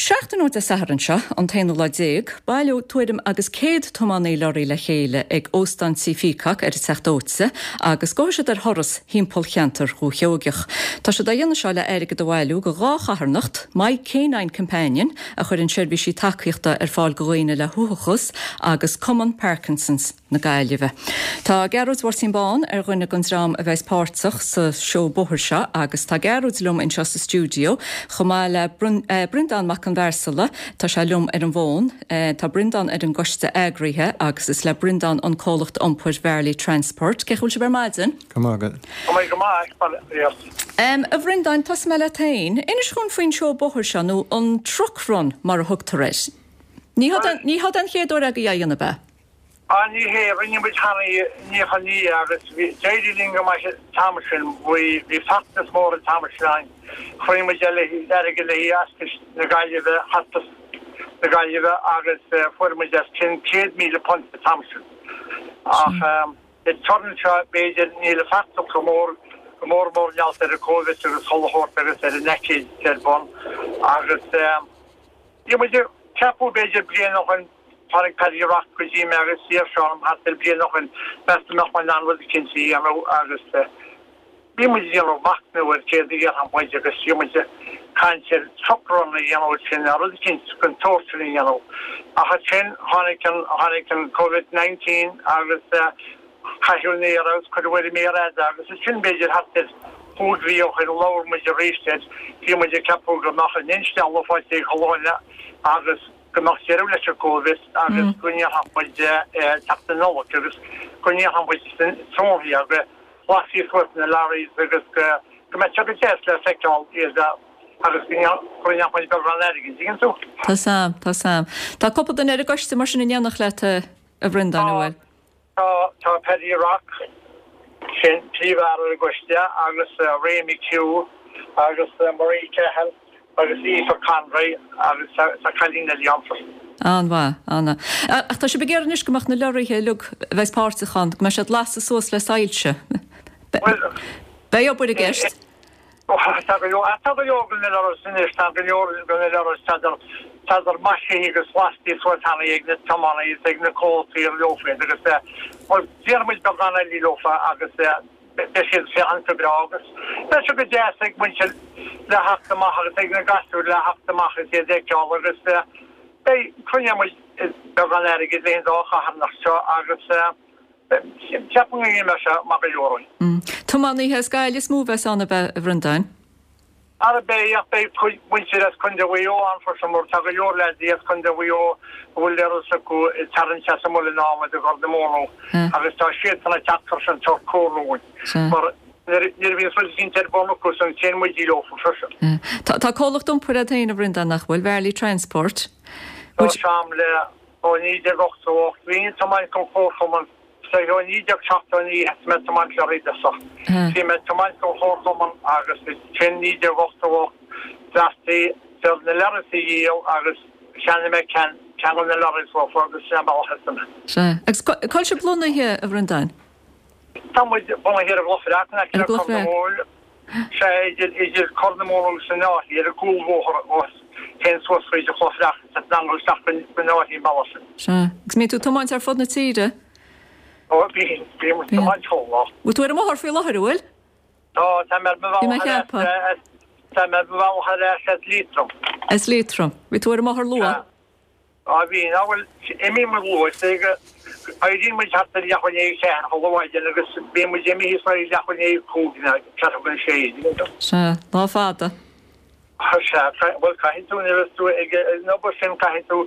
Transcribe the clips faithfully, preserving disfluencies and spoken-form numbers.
Seachtain ó Dé Sathairn seo an t-aonú lá déag, baileoidh tuairim agus céad tiománaí lorraí le chéile ag Óstán Tí Peacock ar an Teach Dóite agus gabhfaidh siad ar thuras thimpeall cheantar Dhúiche Sheoigeach. Tá siad á dhéanamh seo le airgead a bhailiú go dhá charthanacht, My Canine Companion, a chuireann seirbhísí tacaíochta ar fáil go dhaoine le huathachas agus Cumann Parkinson's na Gaillimhe. Tá Gearóid Mháirtín Bán ar dhuine den dream a bheas páirteach sa seó bóthair seo agus tá Gearóid liom anseo sa stiúideo chomh maith le Breandán Mac an Bhearsala tá sé liom ar an bhfón, tá Breandán ar an gcoiste eagraithe agus is le Breandán an comhlacht iompair Varley Transport. Cén chaoi a bhfuil sibh ar maidin? Go maith. Go maith go maith. Um, a Bhreandáin tosóidh mé leat féin, inis dhúinn faoin seó bóthair seo nó an truck run mar a thugtar air. Ní ní hé an chéad uair agaibh é a dhéanamh ab ea? Ah ní hé rinne muid cheana ní ní agus d'éirigh linn go maith an t-am sin bhí bhí feachtas mór an t-am sin chruinnigh muid eile airgead le Hospice na Gaillimhe Hospice na Gaillimhe agus fuair muid os cionn céad míle punt an t-am sin. Ach an turas seo b'fhéidir níl an feachtas go mór go mór mór leat ar an Covid agus choláthir agus ar an aicíd ar bun agus bhí muid ceapadh b'fhéidir bliain ó shin tháinig Paddy Rock go dtí mé agus d'iarr sé orm thart ar bliain ó shin meas tú mbeadh mé in ann rud eicínt a dhéanamh agus bhí muid ag déanamh machnamh ar céard a dhéanfadh muid agus bhí muid ag caint ar truck run a dhéanamh sin rud eicínt den tsórt sin a dhéanamh. Ach ansin tháinig an tháinig an Covid nineteen agus caitheadh an aer agus cuireadh ar an méar fhada agus ansin b'fhéidir thart ar chúig mhí ó shin labhair muid arís air bhí muid ag ceapadh go mbeadh an instealladh faighte ag chuile dhuine agus go mbeadh deireadh leis an Covid agus go ndéanfadh muid teacht na Nollag agus go ndéanfadh muid trófaí agus lasfaí suas na lorries agus go go mbeadh sé go deas le feiceáil iad agus go ndéanfadh muid beagán airgid, tuigeann tú? Tá sam, tá sam. Tá cúpla duine ar an gcoiste mar sin in éineacht leat a Bhreandáin, an bhfuil? Tá tá Paddy Rock sin príomhfhear ar an gcoiste agus Ray McHugh agus Marie Cahill agus Aoife Conroy agus tá cailín eile ann freisin. An-mhaith, an-mhaith. Ach tá sibh ag iarraidh anois go mbeadh na lorraithe uilig a bheas páirteach ann, go mbeadh siad lasta suas le soilse. Beidh obair i gceist. Tá go leor tá go leor de na lorries anois, tá go leor de na lorries tádar maisithe agus lasta suas cheana ag na tiománaithe is ag na comhaltaí ar leo iad agus bhuel déarfaidh muid beagán eile leofa agus beidh siad féachaint go breá agus beidh sé go deas ag muintir le theacht amach agus ag na gasúir le theacht amach is iad a fheiceáil agus beidh cruinneoidh muid beagán airgid le an dá charthanacht seo agus ceapaim go mbeidh sé maith go leor againn. Tiománaithe as Gaillimh is mó a bheas ann ab ea a Bhreandáin? Ara beidh ach beidh cuid muintir as Contae Mhaigh Eo ann freisin mar tá go leor leaids as Contae Mhaigh Eo a bhfuil lorries acu ag tarraingt as an Muileann Adhmaid i gCorr na Móna agus tá siadsan ag teacht freisin ag tabhairt comhairle dhúinn mar nuair a bhíonns rud eicínt ar bun acu san téann muid leofa freisin. Tá tá comhlacht iompair agat féin a Bhreandáin nach bhfuil, Varley Transport. Tá sam le ó naoi déag ochtó ocht bhínn ag tiomáint don chomharchumann Sa ó naoi déag seachtó naoi thosaigh mé ag tiomáint leoraí i dtosach. Bhí mé ag tiomáint don chomharchumann agus ansin naoi déag ochtó ocht bheartaigh siad na lorries a dhíol agus cheannaigh mé ceann ceann de na lorries uafa agus sin an bealach a thosaigh mé. Sea. Agus cá bhfuil sibh lonnaithe, a Bhreandáin? Tá muid bunaithe ar an gCloich Bhreac in aice Ar le an gCloich Corr na Bhreac. Móna. Sea, idir idir Corr na Móna agus an Fháiche, ar an gcúlbhóthar a théann suas fríd an Chloich Bhreac is an angle isteach go an Fháiche an bealach sin. Sea. Agus mbíonn tú ag tiomáint ar fud na tíre? Ó, bíonn, bíonn muid ag tiomáint chuile lá. Bhfuil tú ar an mbóthar faoi láthair, an bhfuil? Tá, tá mé ar mo Bhí mé bhealach ag ar ais, ceapadh. tá mé ar mo bhealach ar ais as Liatroim. As Liatroim. Bhí tú ar an mbóthar luath? Sea. Á bhí, ná bhuel, imíonn muid luath, is é go éiríonn muid thart ar leathuair i ndiaidh a ceathair chuile mhaidin agus bíonn muid imithe faoi leathuair i ndiaidh a cúig nó ceathrú chun a sé, tuigeann tú. Sea, lá fada. Sea, bhuel, caithfidh tú, nuair a bheas tú ag an obair sin, caithfidh tú,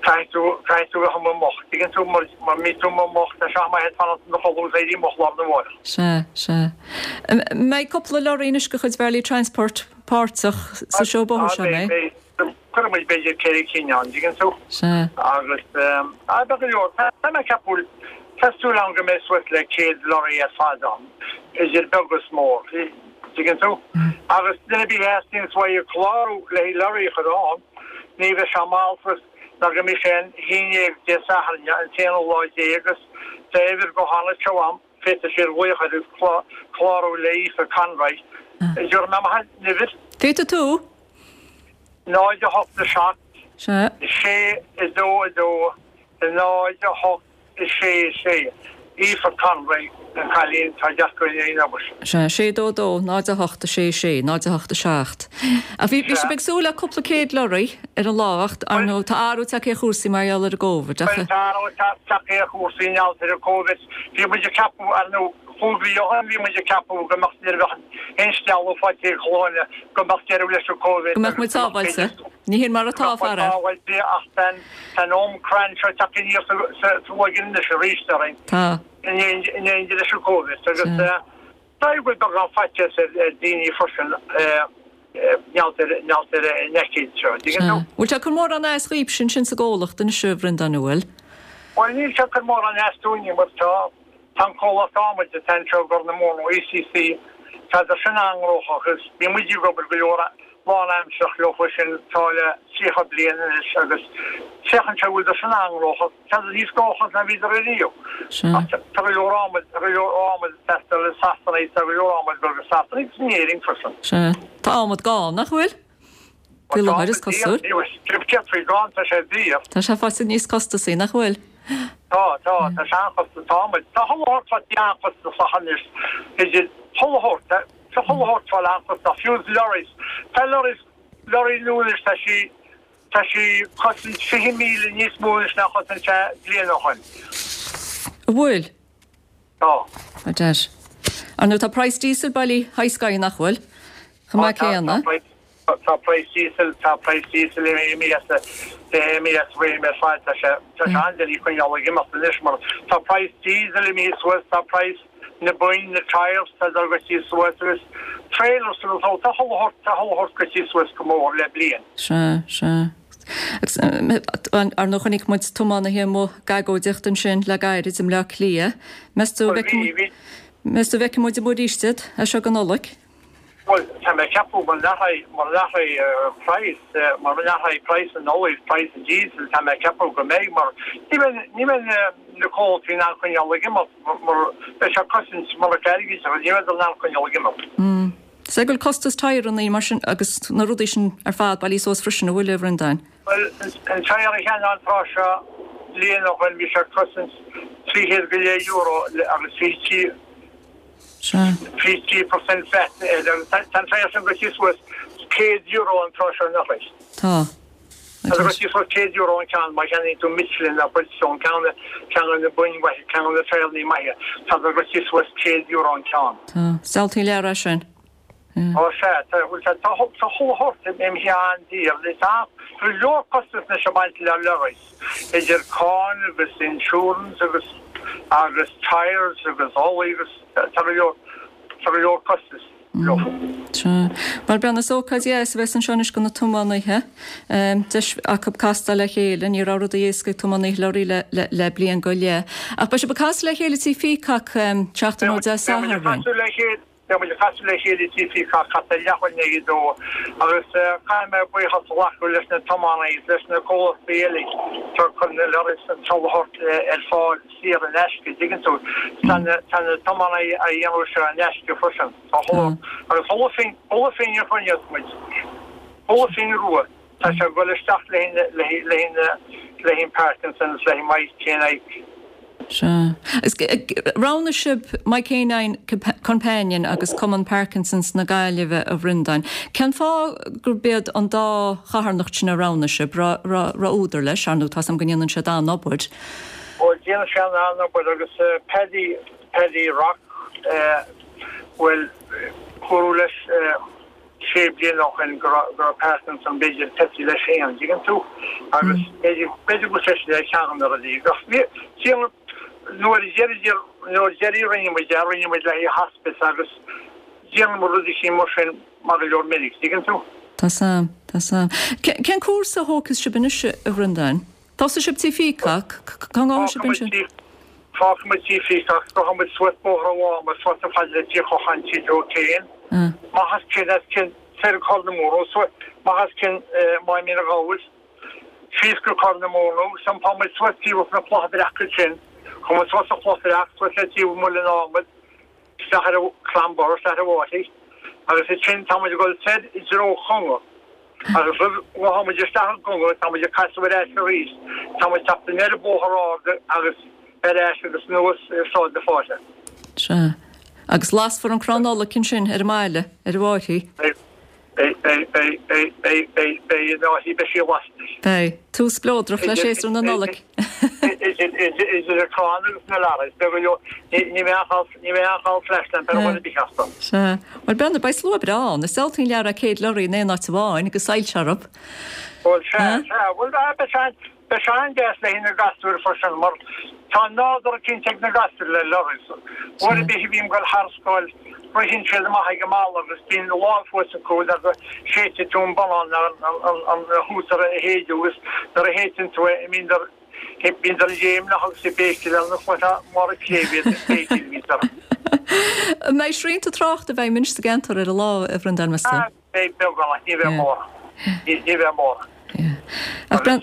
caithfidh tú, caithfidh tú bheith amuigh moch, tuigeann tú, mar mura mbí tú amuigh moch, tá sé maith ag fanacht i do chodladh agus éirí moch lá arna mhárach. Sea, sea. An mbeidh cúpla lorraí anois de chuid Varley Transport páirteach sa seó bóthair Á, seo, an beidh, mbeidh? beidh. Cuirfidh muid b'fhéidir ceithre cinn ann, dtuigeann tú? Sea. Agus á, beidh go leor. Tá mé ag ceapadh, tá súil agam go mbeidh suas le céad lorry ar fad ann, idir beag is mór, dtuigeann tú? Agus duine ar bith a theastaíonns uaidh clárú le haghaidh lorry a chur ann, ní bheidh sé mall suas ná go mbeidh sé an haon déag Dé Sathairn, an t-aonú lá déag, agus tá uimhir gutháin anseo agam, féadfaidh siad glaoch air agus clárú le Aoife Conroy. Déarfaidh mé amach an uimhir. Féadfaidh tú. Náid a hocht a seacht. Sea. Sé a dó a dó a náid a hocht a sé sé. Aoife Conway an cailín tá deacair in aon obair. Sea, sé dó dó, náid a hocht a sé sé, náid a hocht a seacht. Ach bhí bhí sibh ag súil le cúpla céad lorry ar an lá ach ar ndóigh tá athrú tagtha ar chúrsaí mar gheall ar an gCovid ach. Tá athrú tagtha ar chúrsaí i ngeall ar an Covid. Bhí muid ag ceapadh ar ndóigh cúig mhí ó shin bhí muid ag ceapadh go mbeadh nuair a bheadh instealladh faighte ag chuile dhuine go mbeadh deireadh leis an Covid. Go mbeadh muid sábháilte. Ní hin mar atá faraor. Sábháilte ach tá an Omicron seo tagtha aníos sa bhloigín anois arís orainn. Tá. In éindí leis an Covid agus tá go bhfuil beagán faitíos ar daoine freisin ngeall ar an aicíd seo. Tuigeann tú? Bhfuil sé ag cur mórán as dhaoibhse ansin sa gcomhlacht anois a Bhreandáin an bhfuil? Bhuel níl sé ag cur mórán as dúinne mar tá Tá an comhlacht adhmaid atá anseo i gCorr na Móna, ECC, tá sin an-ghnóthach agus bhí muid ag obair go leor lánaimsearach leo sin tá le tríocha bliain anois agus féachann sé go bhfuil sin an-ghnóthach, tá siad níos gnóthaí ná bhíodar ariamh. Ach tá go leor adhmaid, tá go leor adhmaid ag teastáil i Sasana, tá go leor adhmaid ag dul go Sasana agus in Éirinn freisin. Sea. Tá adhmad gann, nach bhfuil? Faoi láthair is cosúil. Céard faoi gann, tá sé daor. Tá sé faighte níos costasaí, nach bhfuil? Tá, tá, tá sé an-chostasach, tá adhmad, tá chuile shórt faighte an-chostasach anois, idir chuile shórt, tá chuile shórt fáil an-chostasach, fiú is lorries, tá lorries, lorry nua anois, tá sí, tá sí cosaint fiche míle níos mó anois ná chosain sé bliain ó shoin. An bhfuil? Tá. A deir. Ar ndóigh tá praghas diesel bailithe high sky nach bhfuil? Chomh maith céanna. Tá praghas diesel, tá praghas diesel imithe as, imithe as réim ar fad, tá sé, tá sé an-doiligh coinneáil ag imeacht anois mar tá praghas diesel imithe suas, tá praghas na boinn, na tyres, tá dul goití suas agus trailers agus all, tá chuile shórt, tá chuile shórt goití suas go mór le bliain. Sea, sea. Agus ar ndóigh chonaic muid tiománaithe amuigh ag agóidíocht ansin le gairid i mBleá Cliath. Meas tú an bhfeicfidh, meas tú an bhfeicfidh muid amuigh arís iad as seo go Nollaig? Bhuel, tá mé ag ceapadh mura n-athraíonn, mura n-athraíonn praghas, mura n-athraíonn praghas an ola is praghas an diesel, tá mé ag ceapadh go mbeidh mar ní bheidh, ní bheidh na comhlachtaí in ann coinneáil ag imeacht mar beidh sé ag cosaint murach airgid agus ní bheidh in ann coinneáil ag imeacht. Is é go bhfuil costas tyreanna mar sin agus na rudaí sin ar fad bailithe suas freisin, an bhfuil, a Bhreandáin? Bhuel, an tyre a cheannaigh an tráth seo bliain ó shoin bhí sé ag cosaint trí chéad go leith euro agus fiche trí Fiche trí percent VAT air agus tá an tyre sin goití suas céad euro an tráth seo anois. Tá. Tá sé goití suas céad euro an ceann má cheannaíonn tú Michelin nó Bridgestone, ceann de ceann de na boinn mhaithe, ceann de na tyreanna maithe, tá sé goití suas céad euro an ceann. Tá. Is diabhaltaí an lear é sin. Ó sea, tá tá tá chuile shórt imithe an-daor. Tá go leor costas anois ag baint le lorries, idir cáin agus insurance agus agus tyres agus ola agus tá go leor tá go leor costas leo. Sea. Bhuel Breandán, is ócáid dheas a bheas anseo anois do na tiománaithe. Deis acu castáil le chéile, ní raibh rudaí éasca ag tiománaithe leoraí le le le bliain go leith. Ach beidh sibh ag casadh le chéile Tí Peacock seachtain ó Dé Beidh muid ag Sathairn. casadh le chéile Beidh muid ag casadh le chéile i Tí Peacock thart ar leathuair i ndiaidh a dó agus caithfidh mé buíochas a ghlacadh leis na tiománaithe is leis na comhlachtaí eile atá ag cur na lorries an chuile shórt ar fáil saor in aisce, dtuigeann tú. Tá na tá na tiománaithe á dhéanamh seo in aisce freisin. Tá chuile agus chuile phingin chuile phingin a choinneos muid, chuile phingin rua, tá sé ag dul isteach le le le le le Parkinson's, le My Canine. Sea. Agus roghnaigh sibh My Canine Companion agus Cumann Parkinson's na Gaillimhe, a Bhreandáin. Cén fáth gurb iad an dá charthanacht sin a roghnaigh sibh? Raibh údar leis, ar ndóigh, tá 's agam go ndéanann siad an-obair. Bhuel, déanann siad an-obair agus Paddy, Paddy Rock, bhuel, dúradh leis, sé bliana ó shin go raibh Parkinson b'fhéidir tosaithe leis féin, an dtuigeann tú? Agus b'fhéidir b'fhéidir go bhfuil sé ar cheann de na rudaí. Ach bhí, sílim, nuair a deireadh, nuair a deireadh rinne muid é, rinne muid le haghaidh hospice agus déanann muid rudaí sin mar sin mar go leor minic, tuigeann tú? Tá 's a'm, tá 's a'm. Cén cúrsa a thógfas sibh anois, a Bhreandáin? Tosóidh sibh Tí Peacock, cá ngabhfaidh sibh ansin? Fágfaidh muid Tí Peacock, gabhfaidh muid suas Bóthar an Mháma, suas chomh fada le Tí Chocháin, Tí Joe Kane. Amach as cionn, as cionn, soir go Corr na Móna, suas, amach as cionn Maigh Mín an Ghabhair, síos go Corr na Móna, agus iompóidh muid suas taobh na Clocha Breaca ansin, chuaigh muid suas an Chloch Bhreac, suas le taobh Muileann Adhmaid, isteach ar an Clamber, isteach ar an bhFairche, agus ansin tá muid ag dul soir i dtreo Chonga. Agus roimh go tháimid isteach i gConga, táimid ag casadh ar ais arís, táimid teacht aniar an Bóthar Ard agus ar ais agus anuas ar Sráid na Fáilte. Sea. Agus lasfar an crann Nollag ansin ar an mbaile, ar an bhFáirche. Beidh, beidh, beidh, beidh, beidh, beidh, beidh, beidh an fháirche, beidh sí lasta. Beidh. Tús spleodrach le séasúr na Nollag. Idir an crann agus na lorries, beidh go leor, ní bheidh aon chall, ní bheidh aon chall flashlamp ar dhuine ar bith astu. Sea. Bhuel, Brendan, beidh slua breá ann. Is diabhaltaí an lear é céad lorraí in aon áit amháin agus soilse orthu. Bhuel, sea, sea. Bhuel, beidh sé, beidh sé an-deas le haghaidh na gasúir freisin mar tá nádúr eicínt ag na gasúir le lorries. Uair ar bith a bhím ag dul thar scoil, ritheann siad amach ag an mballa agus bíonn a lámh thuas acu le go séidfidh tú an bonnán an an hútar a shéideadh agus nuair a shéideann tú é bíonn bíonn léimneach agus ag béicíl ar nós mála cléibh iad ag béicíl bhíos orthu. An mbeidh srianta tráchta i bhfeidhm anois sa gceantar ar an lá, a Bhreandáin, meas tú? Beidh beagán ach ní bheidh mórán. Ní bheidh mórán. Ach Bren,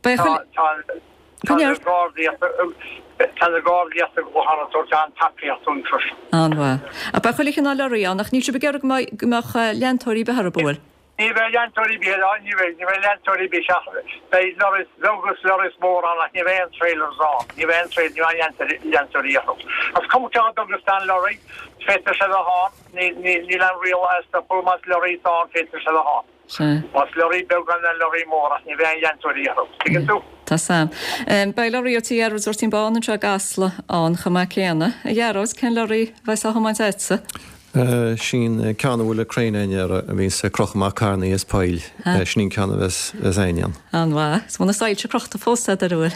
beidh Tá tá na Gardaí tá na Gardaí as an gClochán ag tabhairt an-tacaíocht dúinn freisin. An-mhaith. Ach beidh chuile chineál lorraí ann, ach níl sibh ag iarraidh go mbeidh go mbeadh leantóirí ar bith orthu, an bhfuil? Ní bheidh leantóirí ar bith ann, ní bheidh, ní bheidh leantóirí ar bith ach beidh lorries beag agus lorries mór ann ach ní bheidh aon trailers ann, ní bheidh aon trail, ní bheidh aon leantóirí orthu. Is cuma cé chomh beag is atá an lorry, féadfaidh sé a bheith ann, níl níl aon riail á stopadh, más lorry atá ann féadfaidh sé a bheith ann. Sea. Más lorraí beag ann nó lorraí mór ach ní bheidh aon leantóirí orthu. Tuigeann tú? Tá 's a'm. Beidh lorraí ó Tí Ghearóid Mháirtín Bán anseo i gCasla ann chomh maith céanna. A Ghearóid, cén lorraí a bheas á thiomáint a'dsa? Sin ceann a bhfuil an craein air a bhíonns ag crochadh amach carrannaí as poill. Sin an ceann a bheas a'inn ann. An-mhaith. Is bhfuil na soilse crochta fós a'd ar a bhfuil?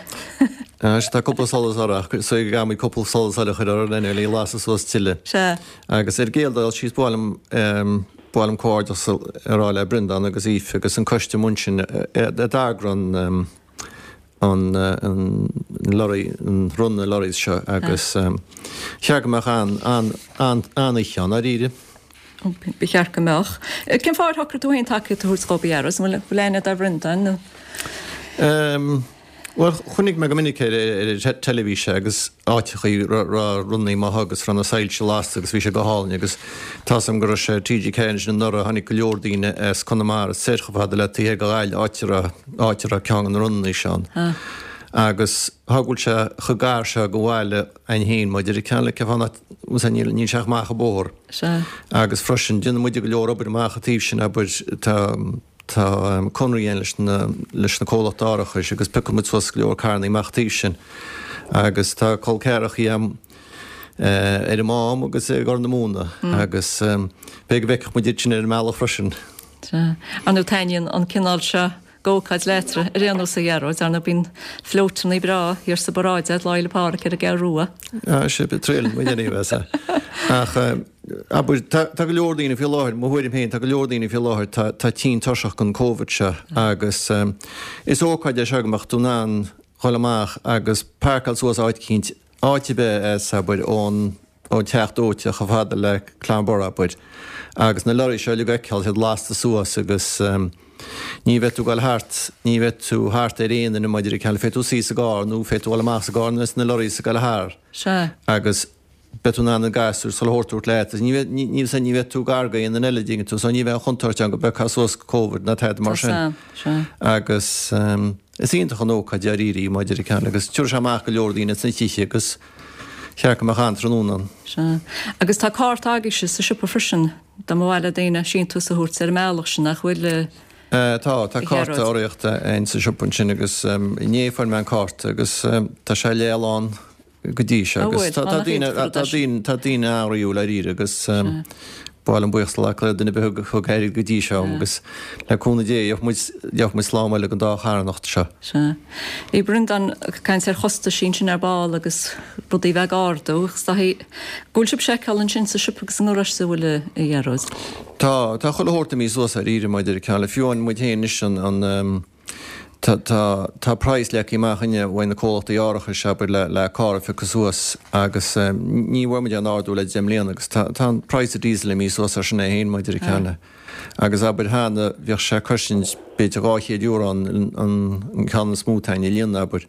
Sea, tá cúpla solas orthu ach so gcaithfidh muid cúpla solas eile a chur orthu lena le lasadh suas tuilleadh. Sea. Agus ar an gcéad dul síos ba mhaith liom Ba mhaith liom comhghairdeas a rá le Breandán agus Aoife agus an coiste amuigh ansin a d'eagraigh an an lorry an run na lorries seo agus cheart go mbeadh an an an an-oíche ann dáiríre. Ba cheart go mbeadh. Cén fáth ar shocraigh tú féin tacaíocht a thabhairt dhóibh, a Ghearóid? An bhfuil aithne a'd ar Bhreandán nó? Bhuel, chonaic mé go minic ar an teilifís agus áiteachaí raibh runnaí maith agus raibh na soilse lasta agus bhí sé go hálainn agus tá's agam go raibh sé TG Ceathair ansin anuraidh, tháinig go leor daoine as Conamara soir chomh fada le taobh thiar de Ghaillimh, áit a raibh, áit a raibh ceann de na runnaí seo ann. Agus tá go bhfuil sé chomh gar seo go bhaile a'inn féin maidir le ceann le cén fáth nach, níl, níl sé ach amach an bóthar. Sea. Agus freisin, déanann muide go leor obair amach an taobh sin, abair, tá, Tá conradh againn leis na leis na comhlachtaí árachais agus piocann muid suas go leor carrannaí amach an taobh sin agus tá col ceathrachaí a'm ar an Mám agus i gCorr na Móna agus b'fhéidir go bhfeicfeadh muid iad sin ar an mbealach freisin. Sea. Ar ndóigh taitníonn an cineál seo d'ócáid leat ar aon nós a Ghearóid, ar ndóigh bíonn floatannaí breá thiar sa bparáid a'd Lá Fhéile Pádraig ar an gCeathrú Rua. Ah sea, triaileann muid anyway, sea. Ach abair, tá tá go leor daoine faoi láthair, mo thuairim féin, tá go leor daoine faoi láthair, tá tá tinn tuirseach den Covid seo agus is ócáid é seo go mbeadh tú in ann dhul amach agus páirceáil suas áit eicínt, áit ar bith as, abair, ón ón Teach Dóite chomh fada le Clonbur, abair, agus na lorraí seo uilig a fheiceáil, siad lasta suas agus ní bheidh tú ag dul thart, ní bheidh tú thart ar aon duine maidir le ceann, féadfaidh tú suí sa gcarr nó féadfaidh tú dul amach sa gcarr nuair a bheas na lorraí ag dul thar. Sea. Agus beidh tú in ann na gasúir is chuile shórt a thabhairt leat agus ní bheidh, ní, ní, ní bheidh tú gar go aon duine eile, dtuigeann tú, so ní bheidh an chontúirt ann go bpiocfá suas Covid ná tada mar sin. Tá, sea. Agus is iontach an ócáid dáiríre í maidir le ceann agus tabharfaidh sé amach go leor daoine as na tithe agus cheart go mbeadh an-tráthnóna ann. Sea. Agus tá cárta agaibhse sa siopa freisin dá mba mhaith le daoine síntiús a thabhairt ar an mbealach sin, nach bhfuil, a Tá, tá cárta Ghearóid? urraíochta againn sa siopa ansin agus inné fuair mé an cárta agus tá sé leathlán go dtí seo An agus bhfuil? tá Tá daoine nach iontach tá rud é sin. daoine tá daoine an-ghnaíúil dáiríre agus Sea. ba mhaith liom buíochas a ghlacadh le duine ar bith a thug airgead go dtí seo Sea. agus le cúnamh Dé gheobhaidh muid gheobhaidh muid slán abhaile den dá charthanacht seo. Sea. Bhí Breandán ag caint ar chostaisí ansin ar ball agus rudaí a bheith ag ardú agus tá go bhfuil sibh seiceáil ansin sa siopa agus i ngaráiste an bhfuil a Ghearóid? Tá, tá chuile shórt imithe suas dáiríre maidir le ceann le fiú amháin muid féin anois an an Tá, tá, tá praghas leagtha amach againne uaidh na comhlachtaí árachais, abair, le, le carr a phiocadh suas agus ní bhfuair muid aon ardú le deich mbliana agus tá, tá an praghas diesel imithe suas ar sin é féin maidir le ceann le. Agus abair cheana bhíodh sé ag cosaint b'fhéidir dhá chéad euro an, an, an ceann is mó atá againn a líonadh, abair.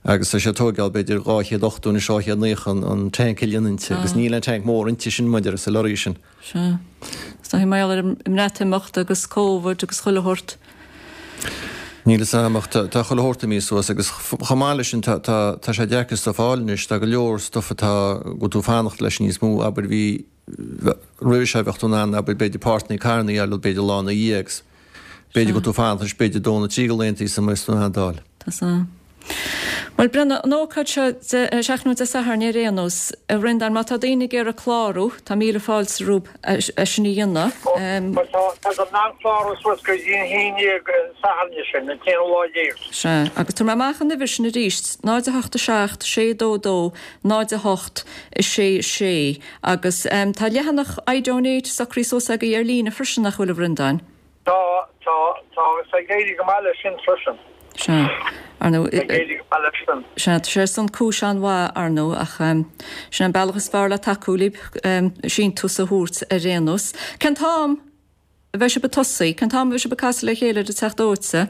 Agus tá sé ag tógáil b'fhéidir dhá chéad ochtó nó dhá chéad naocha an tanc a líonadh inti agus níl an tanc mór inti sin maidir sa lorry sin. Sea. Is dóigh mar gheall ar an mBreatimeacht agus Covid agus chuile shórt. Níl fhios a'm ach tá chuile shórt imithe suas agus chomh maith leis sin tá tá tá sé deacair stuff a fháil anois, tá go leor stuff atá go bhfuil tú ag fanacht leis níos mó, abair bhí roimhe seo bheadh tú in ann abair b'fhéidir páirteanna carranna a fháil b'fhéidir lá ina dhiaidh agus b'fhéidir go bhfuil tú ag fanacht anois b'fhéidir dó nó trí de laethanta sula mbeidh tú in ann iad a fháil. Tá 's a'm. Bhuel, Brendan, an ócáid seo seachtain Dé Sathairn ar aon nós, a Bhrendáin, má tá daoine ag iarraidh clárú, tá míle fáilte rompu é sin a dhéanamh. Bhuel, tá, tá siad in ann clárú suas go dtí an haon déag an Satharn sin, an t-aonú lá déag. Sea, agus tabharfaidh mé amach an uimhir sin arís, náid a hocht a seacht, sé dó dó, náid a hocht, a sé sé, agus tá leathanach iDonate socraithe suas agaibh ar líne freisin, nach bhfuil, a Bhrendáin? Tá, tá, tá, agus tá ag éirí go maith leis sin freisin. Sea. Ar ndóigh. Ag éirí go maith leis sin. Sea, tá sé ar son cúis an-mhaith, ar ndóigh, ach sin an bealach is fearr le tacú libh, síntiús a thabhairt ar aon nós. Cén t-am a bheidh sibh ag tosaí? Cén t-am a bheidh sibh ag casadh le chéile ar an Teach Dóite?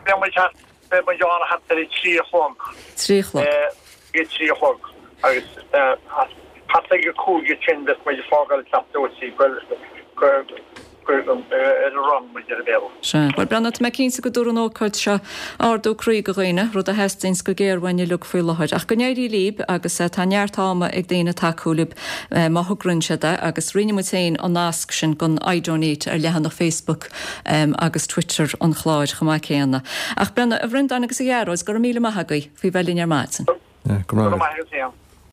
Beidh muid thart, beidh muid ann thart ar a trí a chlog. Trí a chlog. Ag a trí a chlog agus thart ag a cúig ansin beidh muid ag fágáil an Teach Dóite go, go, ar an run, mar a deir an Béarla. Sea. Bhuel, Breandán, tá mé cinnte go dtabharfaidh an ócáid seo ardú croí do dhaoine, rud a theastaíonns go géar uainn uilig faoi láthair. Ach go n-éirí libh agus tá neart ama ag daoine tacú libh má thograíonn siad é agus roinnfidh muid féin an nasc sin don iDonate ar leathanach Facebook agus Twitter an chláir chomh maith céanna. Ach Breandán, a Bhreandáin agus a Ghearóid, go raibh míle maith agaibh faoi bheith linn ar maidin. Go raibh maith agat. Go raibh maith agat féin.